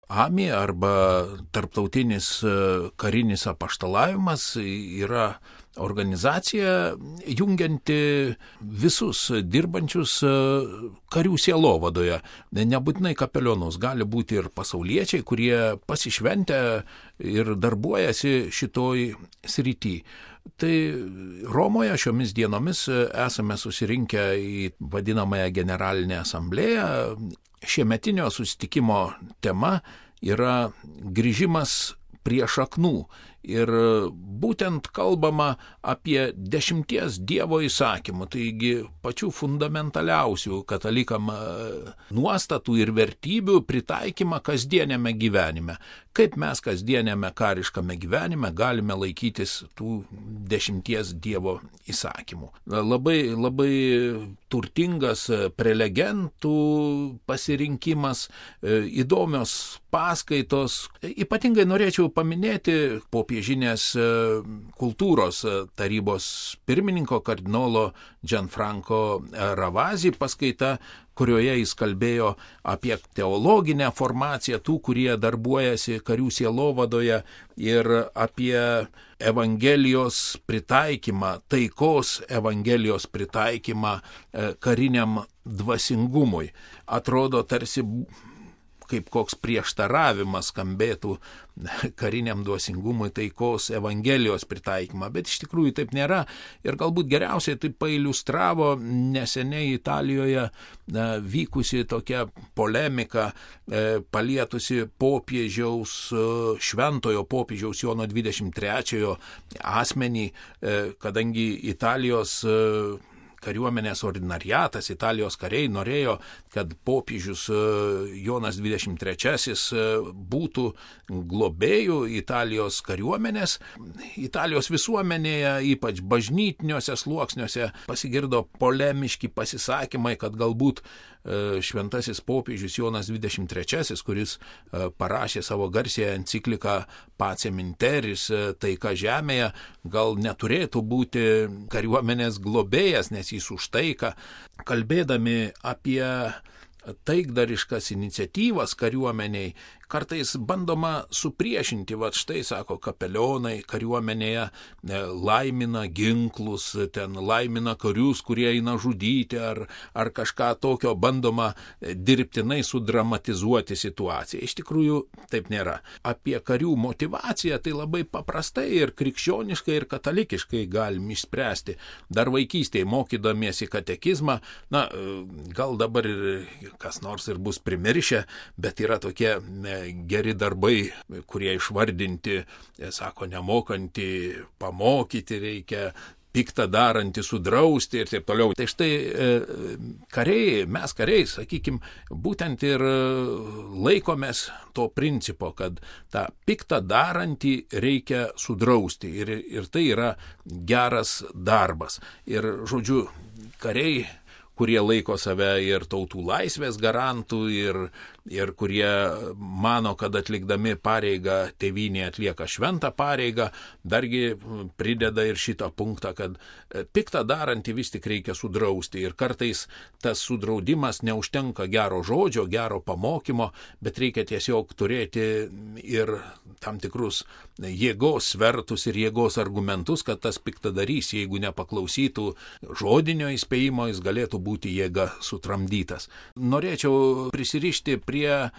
AMI arba Tarptautinis karinis apaštalavimas yra organizacija jungianti visus dirbančius karių sielovadoje. Nebūtinai kapelionus, gali būti ir pasauliečiai, kurie pasišventę ir darbuojasi šitoj srity. Tai Romoje šiomis dienomis esame susirinkę į vadinamąją generalinę asamblėją. Šiemetinio susitikimo tema yra grįžimas prie šaknų. Ir būtent kalbama apie 10 Dievo įsakymų, taigi pačių fundamentaliausių katalikam nuostatų ir vertybių pritaikymą kasdienėme gyvenime. Kaip mes kasdienėme kariškame gyvenime galime laikytis tų 10 Dievo įsakymų. Labai turtingas prelegentų pasirinkimas, įdomios paskaitos. Ypatingai norėčiau paminėti popiežinės kultūros tarybos pirmininko kardinolo Gianfranco Ravasi paskaita, kurioje jis kalbėjo apie teologinę formaciją tų, kurie darbuojasi karių sielovadoje ir apie Evangelijos pritaikymą, taikos Evangelijos pritaikymą kariniam dvasingumui. Atrodo, tarsi kaip koks prieštaravimas skambėtų kariniam dvasingumui taikos Evangelijos pritaikymą, bet iš tikrųjų taip nėra. Ir galbūt geriausiai tai pailiustravo neseniai Italijoje vykusi tokia polemika palietusi popiežiaus, šventojo popiežiaus Jono 23 asmenį, kadangi Italijos kariuomenės ordinariatas, Italijos kariai norėjo, kad popiežius Jonas 23 būtų globėjų Italijos kariuomenės. Italijos visuomenėje, ypač bažnytiniuose sluoksniuose, pasigirdo polemiški pasisakymai, kad galbūt šventasis popiežius Jonas 23, kuris parašė savo garsiąją encikliką Pacem in Terris, taika žemėje, gal neturėtų būti kariuomenės globėjas, nes jis už taiką. Kalbėdami apie taikdariškas iniciatyvas kariuomeniai, kartais bandoma supriešinti, štai, sako, kapelionai kariuomenėje laimina ginklus, ten laimina karius, kurie eina žudyti, ar kažką tokio, bandoma dirbtinai sudramatizuoti situaciją. Iš tikrųjų, taip nėra. Apie karių motivaciją tai labai paprastai ir krikščioniškai, ir katalikiškai galim išspręsti. Dar vaikystėje mokydamiesi katekizmą, gal dabar ir kas nors ir bus primiršę, bet yra tokie geri darbai, kurie išvardinti, sako, nemokantį pamokyti reikia, piktą darantį sudrausti ir taip toliau. Tai štai kariai, mes kariai, sakykime, būtent ir laikomės to principo, kad tą piktą darantį reikia sudrausti ir tai yra geras darbas. Ir, žodžiu, kariai, kurie laiko save ir tautų laisvės garantų ir kurie mano, kad atlikdami pareigą tėvynėje atlieka šventą pareigą, dargi prideda ir šitą punktą, kad piktą darantį vis tik reikia sudrausti. Ir kartais tas sudraudimas neužtenka gero žodžio, gero pamokymo, bet reikia tiesiog turėti ir tam tikrus jėgos svertus ir jėgos argumentus, kad tas piktadarys, jeigu nepaklausytų žodinio įspėjimo, jis galėtų būti jėga sutramdytas. Norėčiau prisirišti prie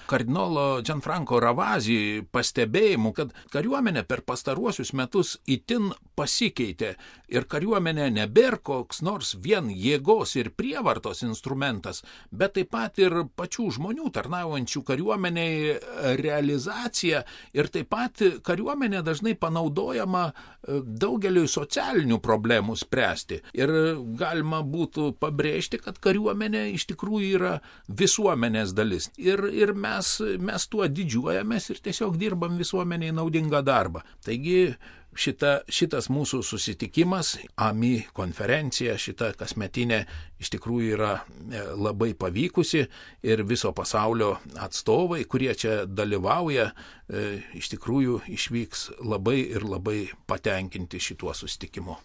kardinolo Gianfranco Ravasi pastebėjimų, kad kariuomenė per pastaruosius metus itin pasikeitė ir kariuomenė nebėra koks nors vien jėgos ir prievartos instrumentas, bet taip pat ir pačių žmonių tarnaujančių kariuomeniai realizacija ir taip pat kariuomenė dažnai panaudojama daugeliui socialinių problemų spręsti. Ir galima būtų pabrėžti, kad kariuomenė iš tikrųjų yra visuomenės dalis. Ir mes tuo didžiuojamės ir tiesiog dirbam visuomeniai naudingą darbą. Taigi šitas mūsų susitikimas, AMI konferencija, šita kasmetinė iš tikrųjų yra labai pavykusi ir viso pasaulio atstovai, kurie čia dalyvauja, iš tikrųjų išvyks labai ir labai patenkinti šituo susitikimu.